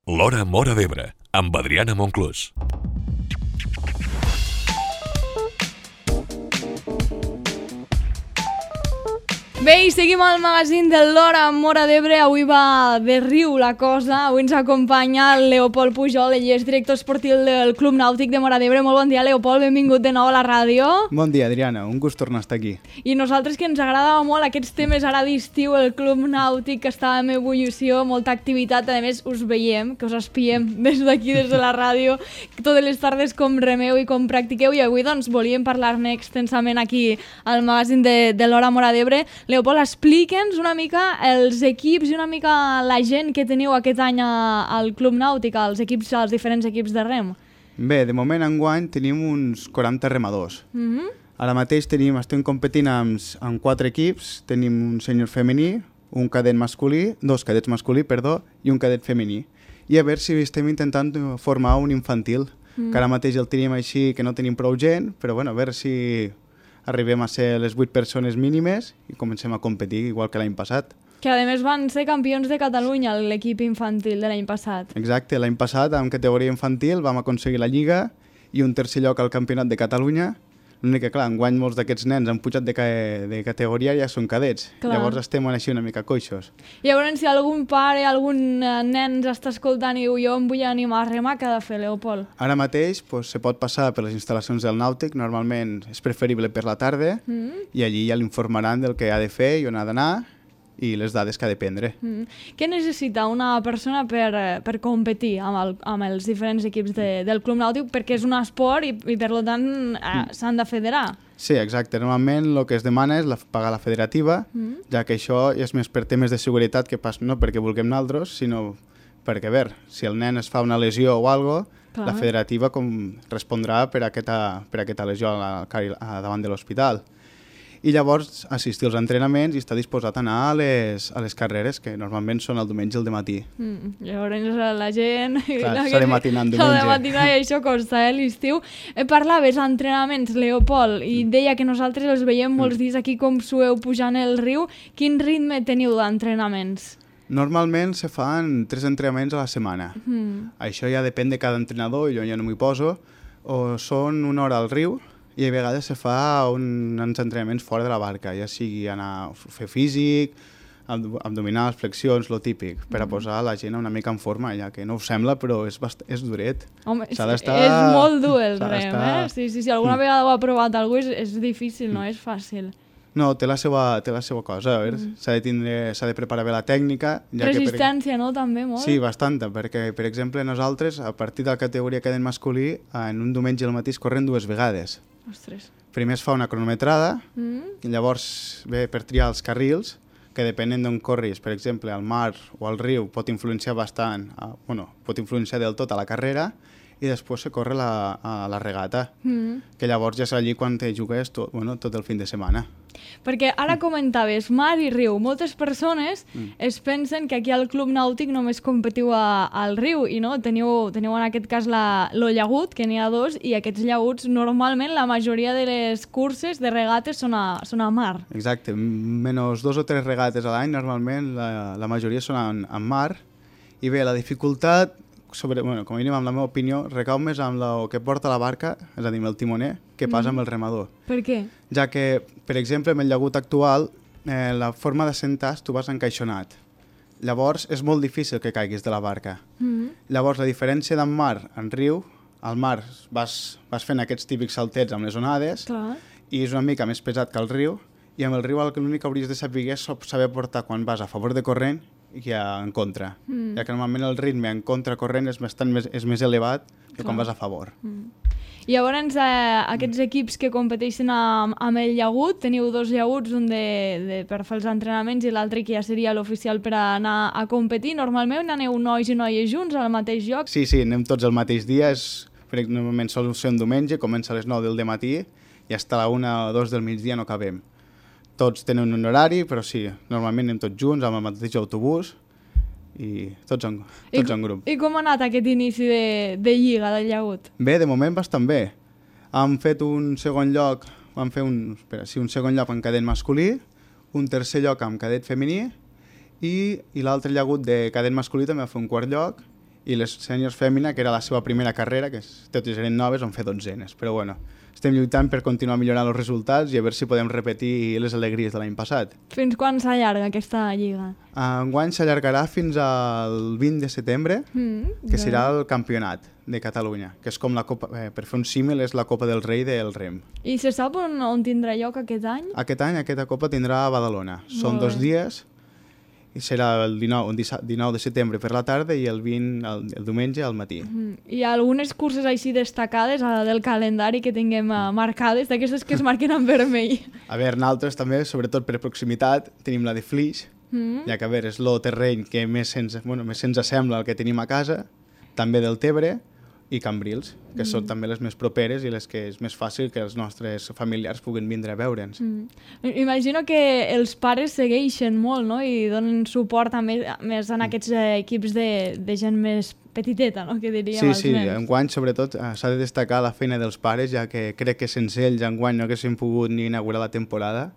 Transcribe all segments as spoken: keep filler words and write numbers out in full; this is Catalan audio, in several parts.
L'Hora Móra d'Ebre, amb Adriana Monclús. Bé, i seguim al magazín de l'Hora Móra d'Ebre. Avui va de riu la cosa. Avui ens acompanya el Leopold Pujol, ell és director esportiu del Club Nàutic de Móra d'Ebre. Molt bon dia, Leopold, benvingut de nou a la ràdio. Bon dia, Adriana, un gust tornar a estar aquí. I nosaltres, que ens agradava molt aquests temes ara d'estiu, el Club Nàutic, que estava en ebullició, molta activitat, a més us veiem, que us espiem des d'aquí, des de la ràdio, totes les tardes com remeu i com practiqueu, i avui doncs volíem parlar-ne extensament aquí al magazín de, de l'Hora Móra d'Ebre. Leopold, explica'ns una mica els equips i una mica la gent que teniu aquest any al Club Nàutic, als equips, als diferents equips de rem. Bé, de moment enguany tenim uns quaranta remadors. Mm-hmm. Ara mateix tenim, estem competint amb, amb quatre equips. Tenim un sènior femení, un cadet masculí, dos cadets masculí, perdó, i un cadet femení. I a veure si estem intentant formar un infantil, mm. que ara mateix el tenim així, que no tenim prou gent, però bueno, a veure si arribem a ser les vuit persones mínimes i comencem a competir igual que l'any passat. Que a més van ser campions de Catalunya l'equip infantil de l'any passat. Exacte, l'any passat en categoria infantil vam aconseguir la Lliga i un tercer lloc al Campionat de Catalunya. L'únic que, clar, enguany molts d'aquests nens han pujat de, ca de categoria i ja són cadets. Clar. Llavors estem així una mica coixos. I llavors, si algun pare, algun nen ens està escoltant i diu jo em vull animar a remar, què ha de fer, Leopold? Ara mateix pues, se pot passar per les instal·lacions del Nàutic, normalment és preferible per la tarda, mm. i allí ja l'informaran del que ha de fer i on ha d'anar i les dades que ha de prendre. Mm. Què necessita una persona per, per competir amb, el, amb els diferents equips de, del Club Nàutic? Perquè és un esport i, i per tant eh, mm. s'han de federar. Sí, exacte. Normalment el que es demana és la, pagar la federativa, mm. ja que això és més per temes de seguretat que pas, no perquè vulguem nosaltres, sinó perquè, a veure, si el nen es fa una lesió o alguna cosa, la federativa com respondrà per aquesta, per aquesta lesió a, a davant de l'hospital. I llavors assistir als entrenaments i estar disposat a anar a les, a les carreres, que normalment són el diumenge al dematí. Mm, llavors la gent... Clar, s'ha de matinar en diumenge. S'ha de matinar i això costa, eh, l'estiu. Eh, parlaves d'entrenaments, Leopold, i deia que nosaltres els veiem molts mm. dies aquí com sueu pujant el riu. Quin ritme teniu d'entrenaments? Normalment se fan tres entrenaments a la setmana. Mm. Això ja depèn de cada entrenador, jo ja no m'hi poso. O són una hora al riu, i a vegades se fa un, uns entrenaments fora de la barca, ja sigui anar a fer físic, abdominals, flexions, lo típic, per a posar la gent una mica en forma, ja que no us sembla, però és, bast és duret. Home, és, és molt dur el rem, eh? Sí, sí, si alguna mm. vegada ho ha provat algú és, és difícil, no és fàcil. No, té la seva, té la seva cosa, a veure, mm. s'ha de tindre, s'ha de preparar bé la tècnica. Ja Resistència, que per... no?, també, molt? Sí, bastanta, perquè, per exemple, nosaltres, a partir de la categoria cadet masculí, en un diumenge al matí es corren dues vegades. Ostres. Primer es fa una cronometrada, mm. i llavors ve per triar els carrils, que depenent d'on corris, per exemple, al mar o al riu, pot influenciar bastant, a, bueno, pot influenciar del tot a la carrera, i després se corre la, a la regata, mm. que llavors ja és allí quan te jugues tot, bueno, tot el fin de setmana. Perquè ara comentaves mar i riu. Moltes persones mm. es pensen que aquí al Club Nàutic només competiu a, al riu i no, teniu, teniu en aquest cas la, lo llagut, que n'hi ha dos, i aquests llaguts normalment la majoria de les curses de regates són a, són a mar. Exacte, menys dos o tres regates a l'any, normalment la, la majoria són en, en mar, i bé, la dificultat, sobre, bueno, com a mínim, amb la meva opinió, recau més amb el que porta la barca, és a dir, amb el timoner, que pas mm. amb el remador. Per què? Ja que, per exemple, amb el llagut actual, eh, la forma de sentar tu vas encaixonat. Llavors, és molt difícil que caiguis de la barca. Mm. Llavors, la diferència d'en mar en riu, al mar vas, vas fent aquests típics saltets amb les onades, clar, i és una mica més pesat que el riu, i amb el riu l'únic que hauries de saber és saber portar quan vas a favor de corrent i en contra, mm. ja que normalment el ritme en contracorrent és, bastant més, és més elevat que clar, quan vas a favor. Mm. I llavors eh, aquests equips que competeixen amb, amb el llagut, teniu dos llaguts, un de, de, per fer els entrenaments i l'altre que ja seria l'oficial per anar a competir. Normalment aneu nois i noies junts al mateix lloc? Sí, sí, anem tots el mateix dia, és, normalment sol ser un diumenge, comença a les nou del dematí i fins a la una o dos del migdia no acabem. Tots tenen un horari, però sí, normalment anem tots junts amb el mateix autobús i tots en, tots I, en grup. I com ha anat aquest inici de, de lliga del llagut? Bé, de moment bastant bé. Hem fet un segon lloc, vam fer un, espera, sí, un segon lloc en cadet masculí, un tercer lloc amb cadet femení i, i l'altre llagut de cadet masculí també va fer un quart lloc i les sèniors fèmina, que era la seva primera carrera, que totes eren noves, van fer dotzenes. Però bueno, estem lluitant per continuar millorant els resultats i a veure si podem repetir les alegries de l'any passat. Fins quan s'allarga aquesta lliga? Enguany s'allargarà fins al vint de setembre, Mm, que serà el campionat de Catalunya, que és com la Copa, eh, per fer un símil, és la Copa del Rei del Rem. I se sap on, on tindrà lloc aquest any? Aquest any aquesta Copa tindrà a Badalona. Són Molt dos bé. dies, i serà el dinou, dinou de setembre per la tarda i el vint el, el diumenge al matí. Mm. Hi ha algunes curses així destacades a, del calendari que tinguem uh, marcades, d'aquestes que es marquen en vermell. A veure, nosaltres també, sobretot per proximitat, tenim la de Flix, Mm. ja que a veure, és el terreny que més se'ns bueno, més se'ns assembla al que tenim a casa, també del Tebre i Cambrils, que són també les més properes i les que és més fàcil que els nostres familiars puguin vindre a veure'ns. Mm. Imagino que els pares segueixen molt, no? I donen suport també més en aquests eh, equips de, de gent més petiteta, no? Que diríem Sí, els sí, nens. enguany sobretot eh, s'ha de destacar la feina dels pares, ja que crec que sense ells enguany no haguéssim pogut ni inaugurar la temporada,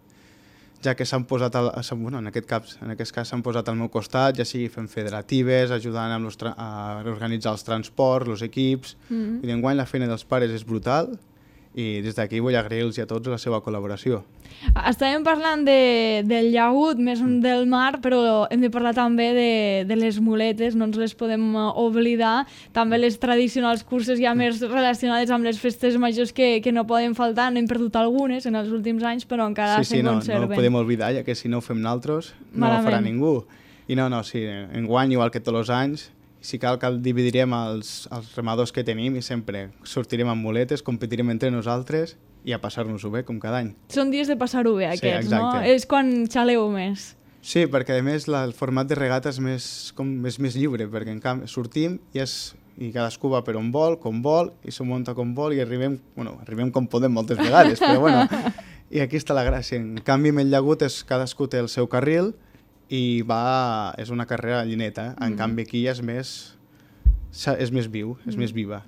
ja que s'han posat, al, bueno, en aquest cas en aquest cas s'han posat al meu costat, ja sigui fent federatives, ajudant amb los tra a organitzar els transports, els equips, Mm. i d'enguany la feina dels pares és brutal, i des d'aquí vull agrair-los a tots la seva col·laboració. Estàvem parlant de, del llagut, més del mar, però hem de parlar també de, de les muletes, no ens les podem eh, oblidar. També les tradicionals curses ja més relacionades amb les festes majors que, que no poden faltar. N'hem perdut algunes en els últims anys, però encara Sí, se sí, no, conserven. no ho podem oblidar, ja que si no ho fem nosaltres no ho farà Malament. ningú. I no, no, sí, enguany, igual que tots els anys, si cal que el dividirem els, els remadors que tenim i sempre sortirem amb muletes, competirem entre nosaltres i a passar-nos-ho bé, com cada any. Són dies de passar-ho bé, Sí, aquests, no? exacte. És quan xaleu més. Sí, perquè a més la, el format de regata és més, com, és més lliure, perquè en canvi sortim i, és, i cadascú va per on vol, com vol, i s'ho munta com vol i arribem, bueno, arribem com podem moltes vegades, però bueno, i aquí està la gràcia. En canvi, amb el llagut és, cadascú té el seu carril i va, és una carrera llineta, en Mm. canvi aquí és més, és més viu, és més viva.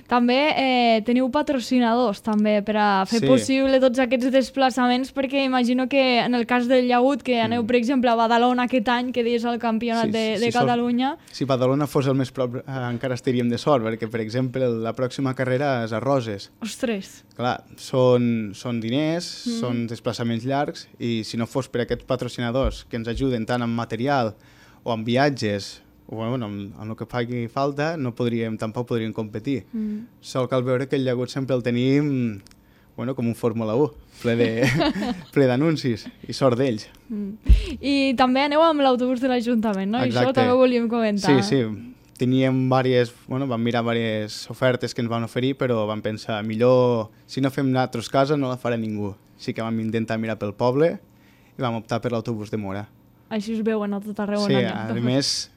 També eh, teniu patrocinadors també per a fer Sí. possible tots aquests desplaçaments, perquè imagino que en el cas del llagut, que aneu, Mm. per exemple, a Badalona aquest any, que deies el campionat Sí, de, sí, de sí, sort. Catalunya, Si Badalona fos el més prop, eh, encara estaríem de sort, perquè, per exemple, la pròxima carrera és a Roses. ostres, Clar, són, són diners, Mm. mm. són desplaçaments llargs, i si no fos per aquests patrocinadors que ens ajuden tant amb material o amb viatges, o bueno, amb, amb el que faci falta, no podríem, tampoc podríem competir. mm. Sol cal veure que el llagut sempre el tenim, bueno, com un Fórmula u, ple de ple d'anuncis, i sort d'ells. Mm. I també aneu amb l'autobús de l'Ajuntament, no? I això Exacte. també ho volíem comentar. Sí, sí, teníem diverses, bueno, vam mirar diverses ofertes que ens van oferir, però vam pensar, millor, si no fem nosaltres casa, no la farà ningú. Així que vam intentar mirar pel poble i vam optar per l'autobús de Mora. Així us veuen a tot arreu. Sí, on a aneu. més,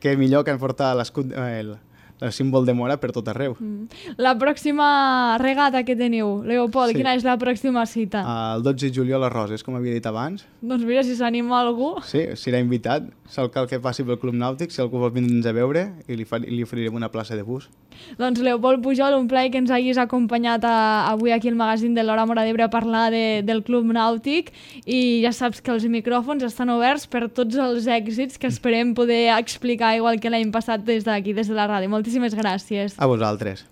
que millor que han portat l'escut, eh, el, el símbol de Mora per tot arreu. Mm. La pròxima regata que teniu, Leopold, Sí. quina és la pròxima cita? El dotze de juliol a Roses, com havia dit abans. Doncs mira, si s'anima algú... Sí, serà invitat. Sol cal que passi pel Club Nàutic, si algú vol vindre'ns a veure, i li, fa, li oferirem una plaça de bus. Doncs Leopold Pujol, un plaer que ens hagis acompanyat a, avui aquí al magazín de l'Hora Móra d'Ebre a parlar de, del Club Nàutic, i ja saps que els micròfons estan oberts per tots els èxits que esperem poder explicar igual que l'any passat des d'aquí, des de la ràdio. Moltíssimes gràcies. A vosaltres.